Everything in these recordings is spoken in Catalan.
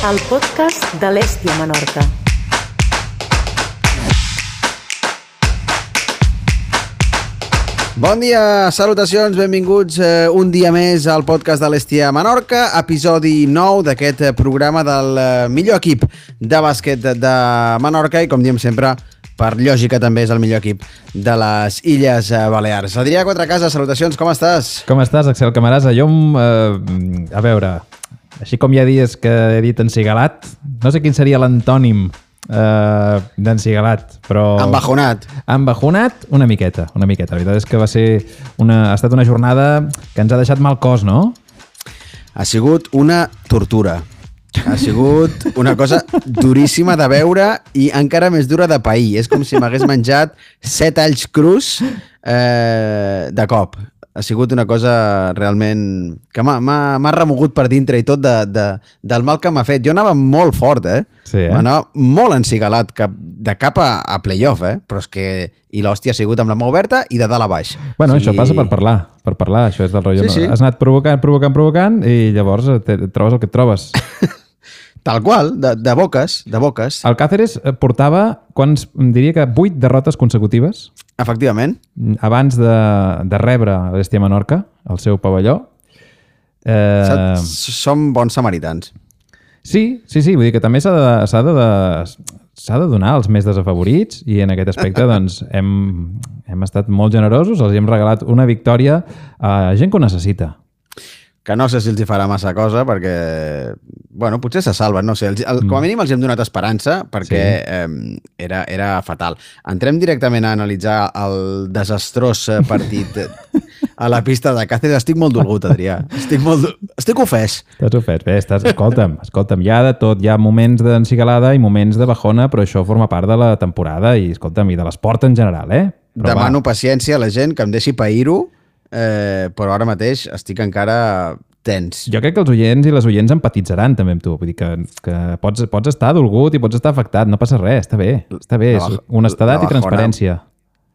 el podcast de l'Èstia Menorca. Bon dia, salutacions, benvinguts un dia més al podcast de l'Èstia Menorca, episodi 9 d'aquest programa del millor equip de bàsquet de Menorca i, com diem sempre, per lògica també és el millor equip de les Illes Balears. Adrià Quatrecasa, salutacions, com estàs? Com estàs, Axel Camarasa? Jo, a veure, així com hi ha dies que he dit encigalat, no sé quin seria l'antònim d'encigalat, però... Embajonat. Embajonat una miqueta. La veritat és que ha estat una jornada que ens ha deixat mal cos, no? Ha sigut una tortura. Ha sigut una cosa duríssima de veure i encara més dura de pair. És com si m'hagués menjat 7 alls crus de cop. Ha sigut una cosa realment que m'ha remogut per dintre i tot del mal que m'ha fet. Jo anava molt fort, Sí, Anava molt encigalat, de cap a playoff, Però és que... I l'hòstia ha sigut amb la mà oberta i de dalt a baix. Bueno, això passa per parlar. Això és del rotllo. Sí. Has anat provocant i llavors et trobes el que et trobes. Tal qual, de boques. El Cáceres portava, diria que 8 derrotes consecutives. Efectivament. Abans de rebre l'Èstia Menorca, al seu pavelló. Som bons samaritans. Sí, vull dir que també s'ha de donar als més desafavorits i en aquest aspecte doncs, hem estat molt generosos, els hem regalat una victòria a gent que ho necessita. Que no sé si els hi farà massa cosa perquè, bueno, potser se salven, no sé. Com a mínim els hem donat esperança perquè era fatal. Entrem directament a analitzar el desastrós partit a la pista de Cáceres. Estic molt dolgut, Adrià. Estic ofès. Estàs ofès. Bé, escolta'm, hi ha de tot. Hi ha moments d'encigalada i moments de bajona, però això forma part de la temporada i, escolta'm, i de l'esport en general, Però demano paciència a la gent que em deixi pair-ho, però ara mateix estic encara tens. Jo crec que els oients i les oients empatitzaran també amb tu. Vull dir que pots estar dolgut i pots estar afectat. No passa res, està bé. És honestedat i transparència.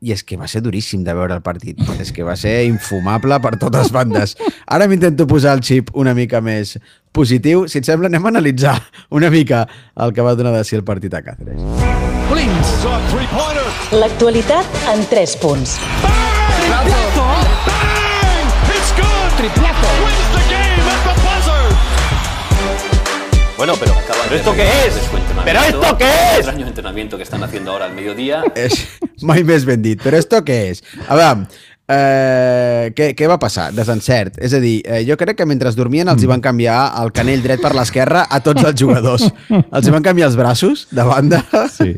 I és que va ser duríssim de veure el partit. És que va ser infumable per totes bandes. Ara m'intento posar el xip una mica més positiu. Si et sembla, anem a analitzar una mica el que va donar de si el partit a Cáceres. L'actualitat en 3 punts. Triplazo! Bang! It's good! Triplazo! Wins the game at the buzzer! Bueno, pero ¿esto qué es? ¿Pero esto qué es? Extraño entrenamiento que están haciendo ahora al mediodía. Mai més ben dit. Però esto què és? A veure, què va passar? Desencert. És a dir, jo crec que mentre dormien els hi van canviar el canell dret per l'esquerra a tots els jugadors. Els hi van canviar els braços de banda. Sí.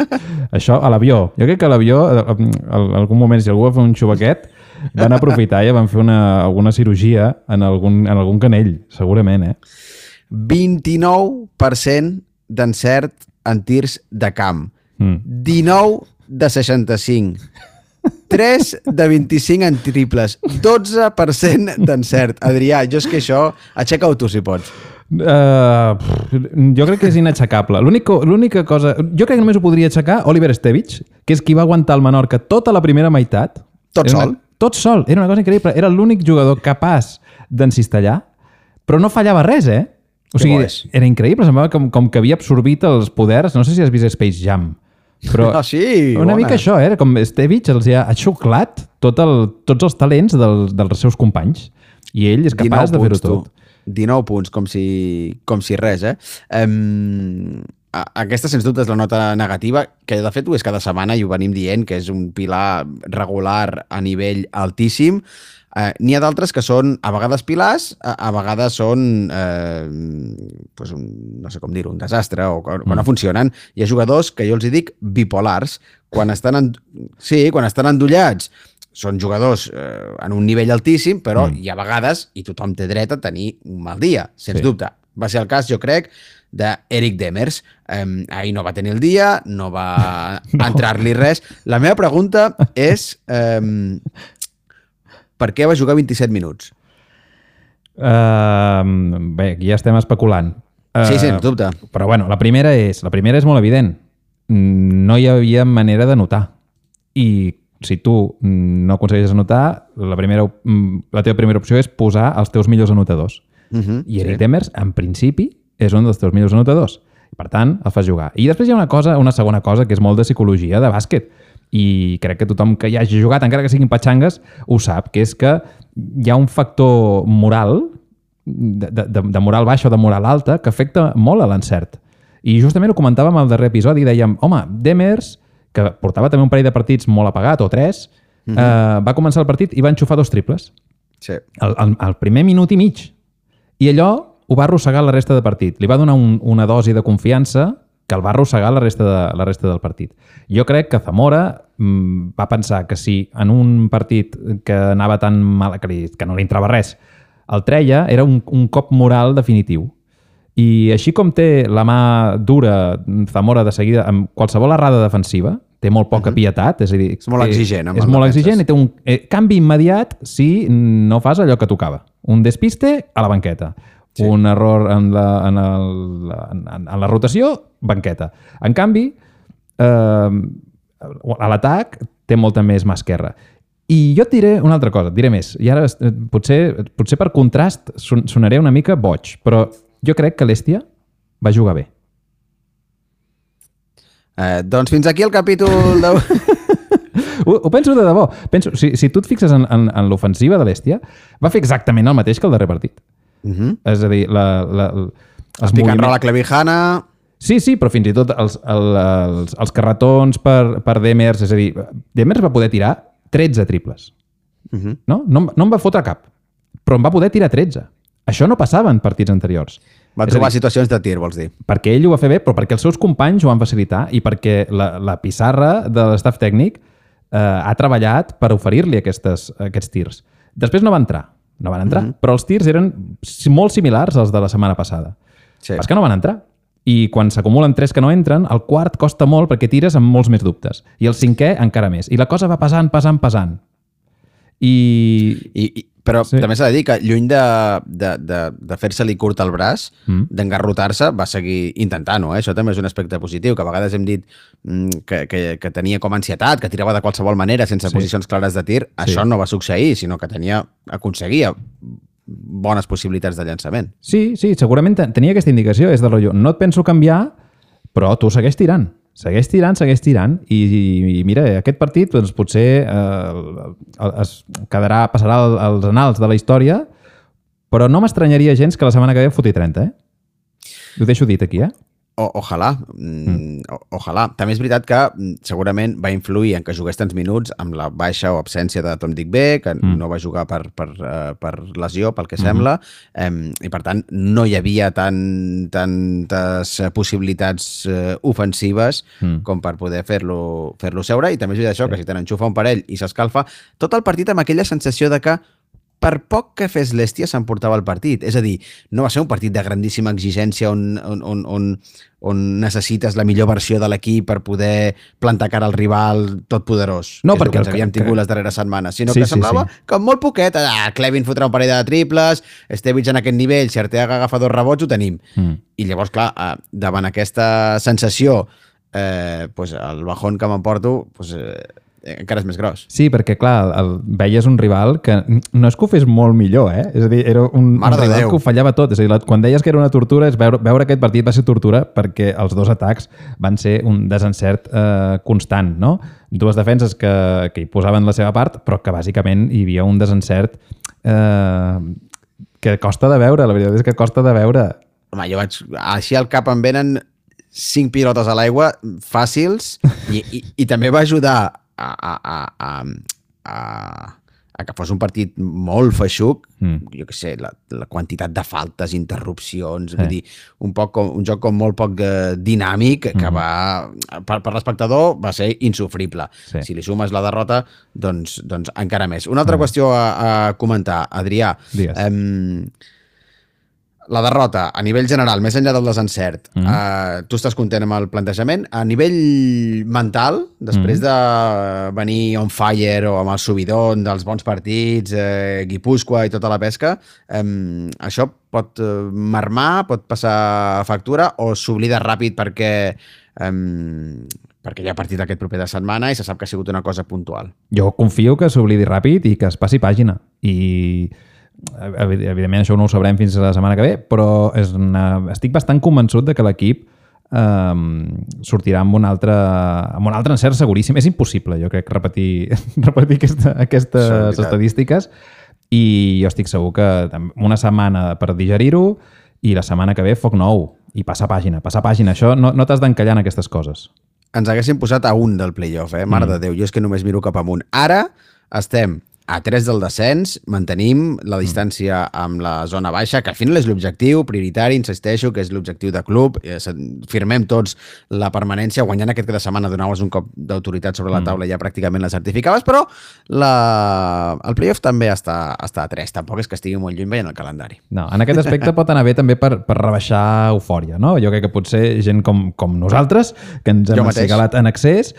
Això a l'avió. Jo crec que a l'avió, en algun moment, si algú va fer un xubaquet, van aprofitar i van fer alguna cirurgia en algun canell, segurament, 29% d'encert en tirs de camp. 19 de 65. 3 de 25 en triples. 12% d'encert. Adrià, jo és que això... Aixeca-ho tu, si pots. Jo crec que és inaixecable. L'única cosa... Jo crec que només ho podria aixecar Oliver Estevich, que és qui va aguantar el Menorca tota la primera meitat. Tot sol. Tot sol. Era una cosa increïble. Era l'únic jugador capaç d'encistellar, però no fallava res, O sigui, era increïble. Semblava com que havia absorbit els poders. No sé si has vist Space Jam. Però una mica això, era com Estevich els ha xuclat tots els talents dels seus companys. I ell és capaç de fer-ho tot. 19 punts, com si res, Aquesta, sens dubte, és la nota negativa, que de fet ho és cada setmana i ho venim dient, que és un pilar regular a nivell altíssim. N'hi ha d'altres que són a vegades pilars, a vegades són no sé com dir-ho, un desastre o quan no funcionen. Hi ha jugadors que jo els dic bipolars. Quan estan endollats són jugadors en un nivell altíssim, però hi ha vegades, i tothom té dret a tenir un mal dia, sens dubte. Va ser el cas, jo crec, d'Eric Demers. Ahir no va tenir el dia, no va entrar-li res. La meva pregunta és... Per què va jugar 27 minuts? Bé, aquí ja estem especulant. Sí, sens dubte. Però bueno, la primera és molt evident. No hi havia manera de notar. I si tu no aconsegueixes anotar, la teva primera opció és posar els teus millors anotadors. I Eric Demers, en principi, és un dels teus millors anotadors. I, per tant, el fas jugar. I després hi ha una segona cosa, que és molt de psicologia de bàsquet. I crec que tothom que hi hagi jugat, encara que siguin patxangues, ho sap, que és que hi ha un factor moral, de moral baixa o de moral alta, que afecta molt a l'encert. I justament ho comentàvem al darrer episodi, dèiem, home, Demers, que portava també un parell de partits molt apagat, o 3, va començar el partit i va enxufar 2 triples. Sí. El primer minut i mig. I allò ho va arrossegar la resta de partit. Li va donar una dosi de confiança que el va arrossegar la resta del partit. Jo crec que Zamora va pensar que si en un partit que anava tan mal, que no li entrava res, el treia, era un cop moral definitiu. I així com té la mà dura Zamora de seguida amb qualsevol errada defensiva, té molt poca pietat, és a dir... És molt exigent. És molt exigent i té un canvi immediat si no fas allò que tocava. Un despiste a la banqueta. Sí. Un error en la rotació, banqueta. En canvi, a l'atac té molta més mà esquerra. I jo et diré una altra cosa, et diré més. I ara potser per contrast sonaré una mica boig, però jo crec que l'Hèstia va jugar bé. Doncs fins aquí el capítol de... Ho penso de debò. Penso, si tu et fixes en l'ofensiva de l'Hèstia, va fer exactament el mateix que el darrer partit. És a dir, els pick-and-roll a Clevijana... Sí, però fins i tot els carretons per Demers, és a dir, Demers va poder tirar 13 triples. No en va fotre cap, però en va poder tirar 13. Això no passava en partits anteriors. Va trobar situacions de tir, vols dir? Perquè ell ho va fer bé, però perquè els seus companys ho van facilitar i perquè la pissarra de l'estaf tècnic ha treballat per oferir-li aquests tirs. Després no van entrar, però els tirs eren molt similars als de la setmana passada. Sí. És que no van entrar. I quan s'acumulen 3 que no entren, el quart costa molt perquè tires amb molts més dubtes. I el 5è encara més. I la cosa va pesant. Però també s'ha de dir que lluny de fer-se-li curt el braç, d'engarrotar-se, va seguir intentant-ho. Això també és un aspecte positiu, que a vegades hem dit que tenia com ansietat, que tirava de qualsevol manera, sense posicions clares de tir. Això no va succeir, sinó que aconseguia bones possibilitats de llançament. Sí, segurament tenia aquesta indicació. És del rotllo, no et penso canviar, però tu segueix tirant. Segueix tirant i mira, aquest partit doncs, potser passarà als annals de la història, però no m'estranyaria gens que la setmana que ve foti 30, Ho deixo dit aquí, Ojalà. També és veritat que segurament va influir en que jugués tants minuts amb la baixa o absència de Tom Digbe, que no va jugar per lesió, pel que sembla, i per tant no hi havia tantes possibilitats ofensives com per poder fer-lo seure, i també és veritat això, que si te n'enxufa un parell i s'escalfa, tot el partit amb aquella sensació de que per poc que fes l'Hèstia s'emportava el partit. És a dir, no va ser un partit de grandíssima exigència on necessites la millor versió de l'equip per poder plantar cara al rival totpoderós, no, que és el que ens havíem tingut les darreres setmanes, sinó que semblava com molt poquet. Clevin fotrà un parell de triples, Stevic en aquest nivell, si Arteaga agafa 2 rebots, ho tenim. I llavors, clar, davant aquesta sensació, el bajón que m'emporto encara és més gros. Sí, perquè, clar, veies un rival que no és que ho fes molt millor, És a dir, era un rival que ho fallava tot. És a dir, quan deies que era una tortura, veure aquest partit va ser tortura perquè els 2 atacs van ser un desencert constant, no? 2 defenses que hi posaven la seva part, però que bàsicament hi havia un desencert que costa de veure, la veritat és que costa de veure. Home, jo així al cap em venen 5 pilotes a l'aigua fàcils i també va ajudar a que fos un partit molt feixuc, jo què sé, la quantitat de faltes, interrupcions, vull dir, un joc com molt poc dinàmic, que per l'espectador va ser insofrible. Si li sumes la derrota, doncs encara més. Una altra qüestió a comentar, Adrià. La derrota, a nivell general, més enllà del desencert, tu estàs content amb el plantejament? A nivell mental, després de venir on fire o amb el subidon dels bons partits, Guipúscoa i tota la pesca, això pot mermar, pot passar factura o s'oblida ràpid perquè hi ha partit aquest proper de setmana i se sap que ha sigut una cosa puntual? Jo confio que s'oblidi ràpid i que es passi pàgina. I evidentment això no ho sabrem fins a la setmana que ve, però estic bastant convençut de que l'equip sortirà amb un altre encert seguríssim. És impossible, jo crec, repetir aquestes estadístiques, i jo estic segur que una setmana per digerir-ho i la setmana que ve foc nou i passar pàgina. Això no t'has d'encallar en aquestes coses. Ens haguessin posat a 1 del playoff, Mare de Déu, jo és que només miro cap amunt. Ara estem a 3 del descens, mantenim la distància amb la zona baixa, que al final és l'objectiu prioritari, insisteixo, que és l'objectiu de club. Firmem tots la permanència, guanyant aquest cada setmana, donar-los un cop d'autoritat sobre la taula, ja pràcticament la certificaves, però el playoff també està a 3, tampoc és que estigui molt lluny veient el calendari. No, en aquest aspecte pot anar bé també per rebaixar eufòria, no? Jo crec que potser gent com nosaltres, que ens hem encigalat en excés,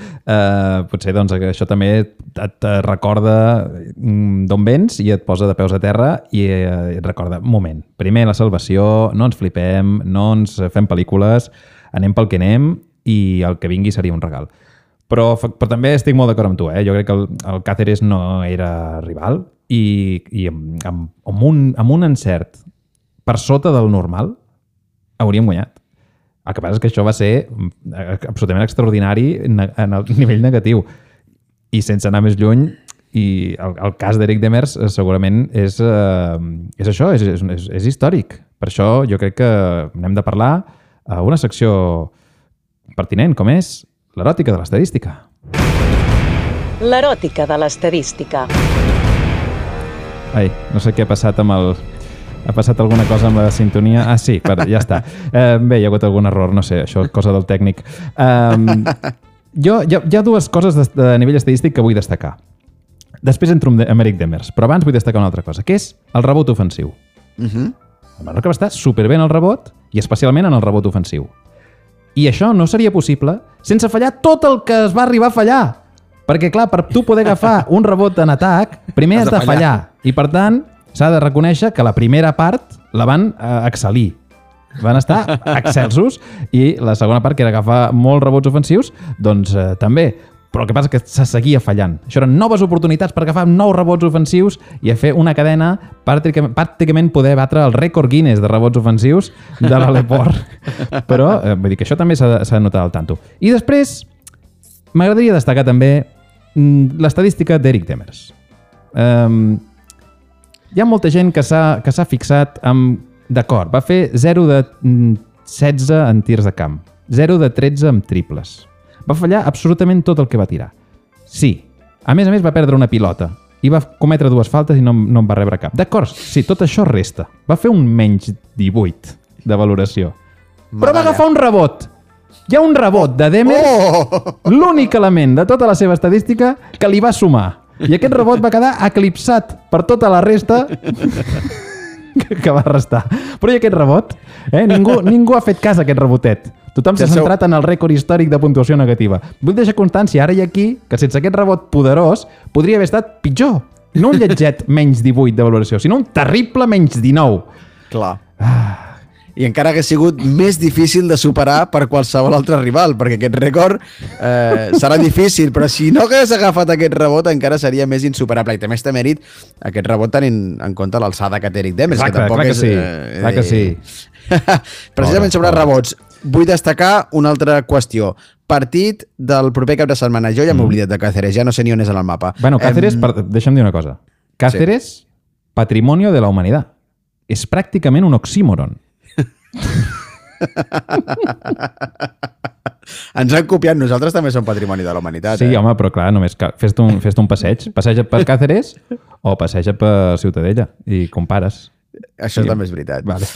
potser doncs això també et recorda d'on vens i et posa de peus a terra i et recorda, un moment, primer la salvació, no ens flipem, no ens fem pel·lícules, anem pel que anem i el que vingui seria un regal. Però també estic molt d'acord amb tu, jo crec que el Cáceres no era rival i amb un encert per sota del normal hauríem guanyat. El que passa és que això va ser absolutament extraordinari en el nivell negatiu i sense anar més lluny. I el cas d'Eric Demers segurament és això, és històric. Per això jo crec que n'hem de parlar a una secció pertinent, com és l'eròtica de l'estadística. L'eròtica de l'estadística. Ai, no sé què ha passat amb el... Ha passat alguna cosa amb la sintonia? Ah, sí, ja està. Bé, hi ha hagut algun error, no sé, això és cosa del tècnic. Hi ha dues coses de nivell estadístic que vull destacar. Després entro amb Eric Demers, però abans vull destacar una altra cosa, que és el rebot ofensiu. El Menorca va estar superbé en el rebot i especialment en el rebot ofensiu. I això no seria possible sense fallar tot el que es va arribar a fallar. Perquè, clar, per tu poder agafar un rebot en atac, primer has de fallar. I, per tant, s'ha de reconèixer que la primera part la van excel·lir. Van estar excelsos i la segona part, que era agafar molts rebots ofensius, doncs també. Però el que passa és que se seguia fallant. Això eren noves oportunitats per agafar 9 rebots ofensius i a fer una cadena pràcticament poder batre el rècord Guinness de rebots ofensius de l'Aleport. Però vull dir que això també s'ha de notar al tanto. I després m'agradaria destacar també l'estadística d'Eric Demers. Hi ha molta gent que s'ha fixat amb... D'acord, va fer 0 de 16 en tirs de camp, 0 de 13 en triples. Va fallar absolutament tot el que va tirar. Sí, a més va perdre una pilota i va cometre 2 faltes i no en va rebre cap. D'acord, sí, tot això resta. Va fer un menys 18 de valoració. Però va agafar un rebot. Hi ha un rebot de Demers, l'únic element de tota la seva estadística que li va sumar. I aquest rebot va quedar eclipsat per tota la resta que va restar. Però i aquest rebot? Ningú ha fet cas a aquest rebotet. Tothom s'ha centrat en el rècord històric de puntuació negativa. Vull deixar constància ara i aquí que sense aquest rebot poderós podria haver estat pitjor. No un lletget menys 18 de valoració, sinó un terrible menys 19. Clar. I encara hagués sigut més difícil de superar per qualsevol altre rival, perquè aquest rècord serà difícil, però si no hagués agafat aquest rebot encara seria més insuperable. I també està mèrit aquest rebot tenint en compte l'alçada que té Eric Demers. Exacte, clar que sí. Clar que sí. Precisament sobre rebots, vull destacar una altra qüestió. Partit del proper cap de setmana. Jo ja m'he oblidat de Cáceres, ja no sé ni on és en el mapa. Bueno, Cáceres, deixa'm dir una cosa. Cáceres, patrimonio de la humanitat. És pràcticament un oxímoron. Ens han copiat, nosaltres també som patrimoni de la humanitat. Sí, home, però clar, només fes-te un passeig. Passeja per Cáceres o passeja per Ciutadella i compares. Això sí. També és veritat. Vale.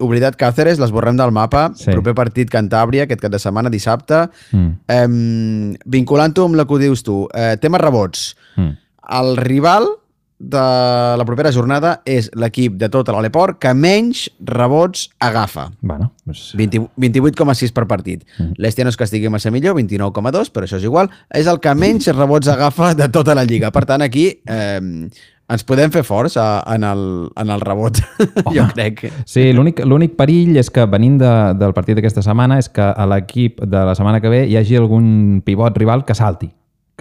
Oblidat Cáceres, l'esborrem del mapa. Sí. Proper partit Cantàbria, aquest cap de setmana, dissabte. Vinculant-ho amb el que dius tu, tema rebots. El rival de la propera jornada és l'equip de tot l'Aleport que menys rebots agafa. Bueno, pues... 28,6 per partit. L'Hèstia no és que estigui massa millor, 29,2, però això és igual. És el que menys rebots agafa de tota la lliga. Per tant, aquí ens podem fer forts en el rebot, jo crec. Sí, l'únic perill és que venint del partit d'aquesta setmana és que a l'equip de la setmana que ve hi hagi algun pivot rival que salti,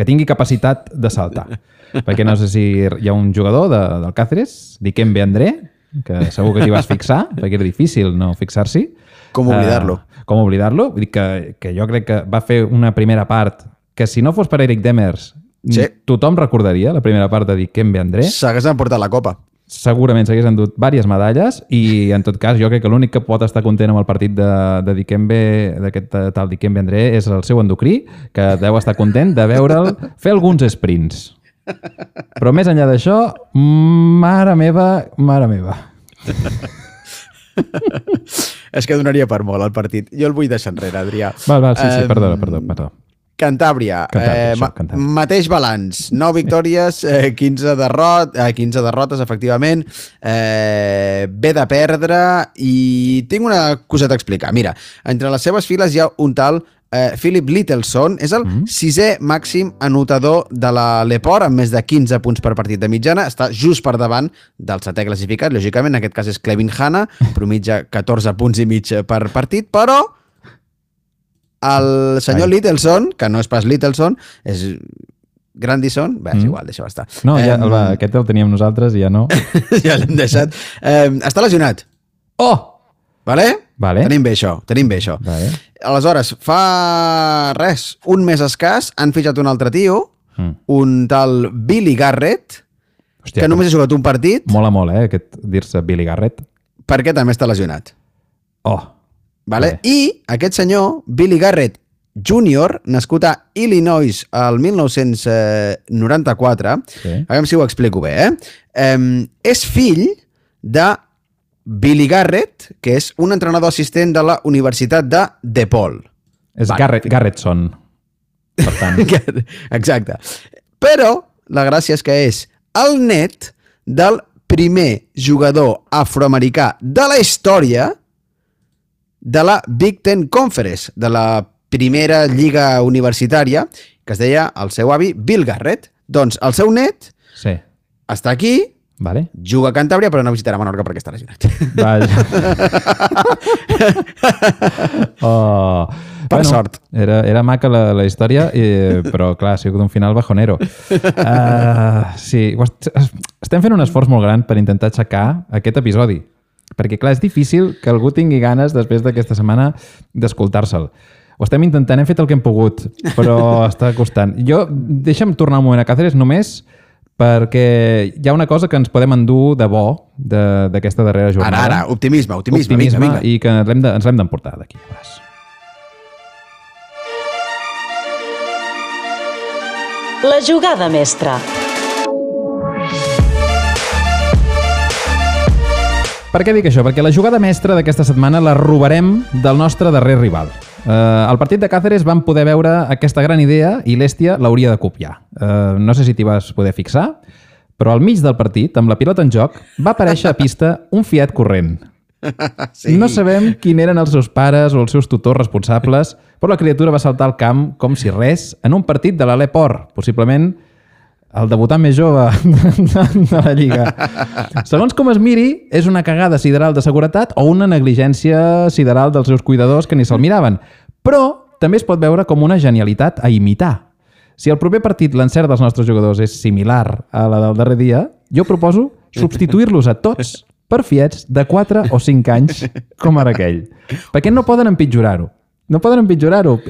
que tingui capacitat de saltar. Perquè no sé si hi ha un jugador del Cáceres, Dikembe André, que segur que t'hi vas fixar, perquè era difícil no fixar-s'hi. Com oblidar-lo. Com oblidar-lo. Vull dir que jo crec que va fer una primera part que si no fos per Eric Demers, tothom recordaria la primera part de Dikembe André. S'hagués emportat la copa. Segurament s'hagués endut diverses medalles i, en tot cas, jo crec que l'únic que pot estar content amb el partit de Dikembe, d'aquest tal Dikembe André, és el seu endocrí, que deu estar content de veure'l fer alguns sprints. Però més enllà d'això, mare meva. És que donaria per molt el partit. Jo el vull deixar enrere, Adrià. Val, sí, perdó. Cantàbria, Cantàbria. mateix balanç, 9 victòries, 15 derrotes, efectivament, ve de perdre i tinc una coseta a explicar. Mira, entre les seves files hi ha un tal Philip Littleson, és el sisè màxim anotador de la Leport, amb més de 15 punts per partit de mitjana, està just per davant del setè classificat, lògicament, en aquest cas és Clevin Hanna, promitja 14 punts i mig per partit, però el senyor Littleson, que no és pas Littleson, és Grandison, bé, és igual, deixa-ho estar. No, ja, aquest el teníem nosaltres i ja no. Ja l'hem deixat. Està lesionat. Oh! Vale? Tenim bé això. Vale. Aleshores, fa un mes escàs, han fitxat un altre tio, un tal Billy Garrett, Hòstia, que només ha jugat un partit. Mola molt, aquest dir-se Billy Garrett. Perquè també està lesionat. Oh! Vale? I aquest senyor, Billy Garrett Jr., nascut a Illinois el 1994, a veure si ho explico bé, és fill de Billy Garrett, que és un entrenador assistent de la Universitat de DePaul. És Garrettson, per tant. Exacte. Però la gràcia és que és el net del primer jugador afroamericà de la història de la Big Ten Conference, de la primera lliga universitària, que es deia el seu avi Bill Garrett. Doncs el seu net està aquí, juga a Cantàbria, però no visitarà Menorca perquè està lesionat. Per sort. Era maca la història, però clar, ha sigut un final bajonero. Sí, estem fent un esforç molt gran per intentar aixecar aquest episodi. Perquè, clar, és difícil que algú tingui ganes, després d'aquesta setmana, d'escoltar-se'l. Ho estem intentant, hem fet el que hem pogut, però està costant. Deixa'm tornar un moment a Cáceres només perquè hi ha una cosa que ens podem endur de bo d'aquesta darrera jornada. Ara, optimisme, vinga. I que ens l'hem d'emportar d'aquí. La jugada mestra. Per què dic això? Perquè la jugada mestra d'aquesta setmana la robarem del nostre darrer rival. Al partit de Cáceres vam poder veure aquesta gran idea i l'Hèstia l'hauria de copiar. No sé si t'hi vas poder fixar, però al mig del partit, amb la pilota en joc, va aparèixer a pista un Fiat corrent. Sí. No sabem quin eren els seus pares o els seus tutors responsables, però la criatura va saltar al camp com si res en un partit de la Leport, possiblement el debutant més jove de la Lliga. Segons com es miri, és una cagada sideral de seguretat o una negligència sideral dels seus cuidadors que ni se'l miraven. Però també es pot veure com una genialitat a imitar. Si el proper partit l'encert dels nostres jugadors és similar a la del darrer dia, jo proposo substituir-los a tots per Fiats de 4 o 5 anys com ara aquell. Perquè no poden empitjorar-ho.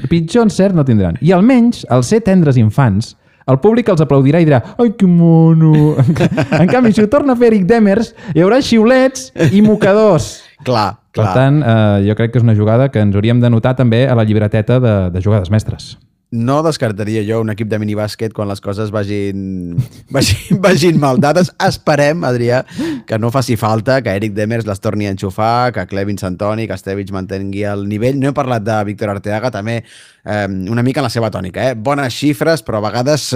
Pitjor encert no tindran. I almenys, al ser tendres infants, el públic els aplaudirà i dirà «Ai, que mono!». En canvi, si ho torna a fer Eric Demers, hi haurà xiulets i mocadors. Clar. Per tant, jo crec que és una jugada que ens hauríem de notar també a la llibreteta de jugades mestres. No descartaria jo un equip de minibàsquet quan les coses vagin mal dades. Esperem, Adrià, que no faci falta, que Eric Demers les torni a enxufar, que Clevin Santoni, que Estevich mantengui el nivell. No he parlat de Víctor Arteaga, també una mica en la seva tònica. Bones xifres, però a vegades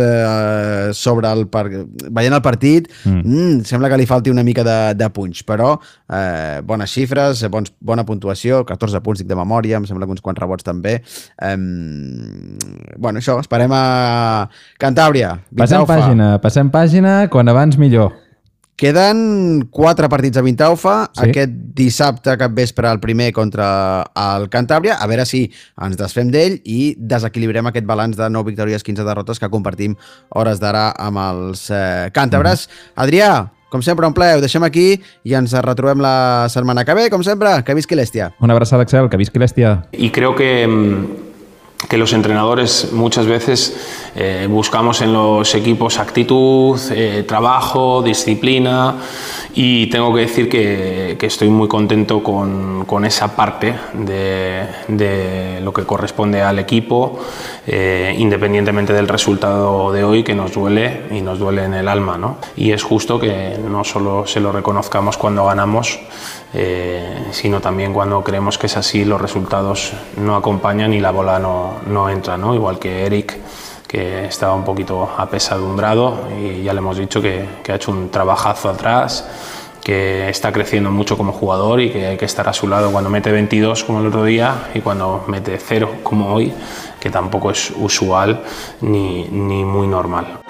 veient el partit sembla que li falti una mica de punx, però bones xifres, bona puntuació, 14 punts dic de memòria, em sembla que uns quants rebots també. Bueno, això, esperem a Cantàbria. Passem pàgina, quan abans millor. Queden 4 partits a Vintaufa, Sí. aquest dissabte cap vespre el primer contra el Cantàbria, a veure si ens desfem d'ell i desequilibrem aquest balanç de 9 victòries, 15 derrotes que compartim hores d'ara amb els càntabres. Adrià, com sempre, un plaer, ho deixem aquí i ens retrobem la setmana que ve, com sempre, que visqui l'Hèstia. Una abraçada, Axel, que visqui l'Hèstia. Y creo que los entrenadores muchas veces buscamos en los equipos actitud, trabajo, disciplina, y tengo que decir que estoy muy contento con esa parte de lo que corresponde al equipo, independientemente del resultado de hoy, que nos duele y nos duele en el alma, ¿no? Y es justo que no solo se lo reconozcamos cuando ganamos, sino también cuando creemos que es así, los resultados no acompañan y la bola no entra, ¿no? Igual que Eric, que estaba un poquito apesadumbrado, y ya le hemos dicho que ha hecho un trabajazo atrás, que está creciendo mucho como jugador y que hay que estar a su lado cuando mete 22 como el otro día y cuando mete 0 como hoy, que tampoco es usual ni muy normal.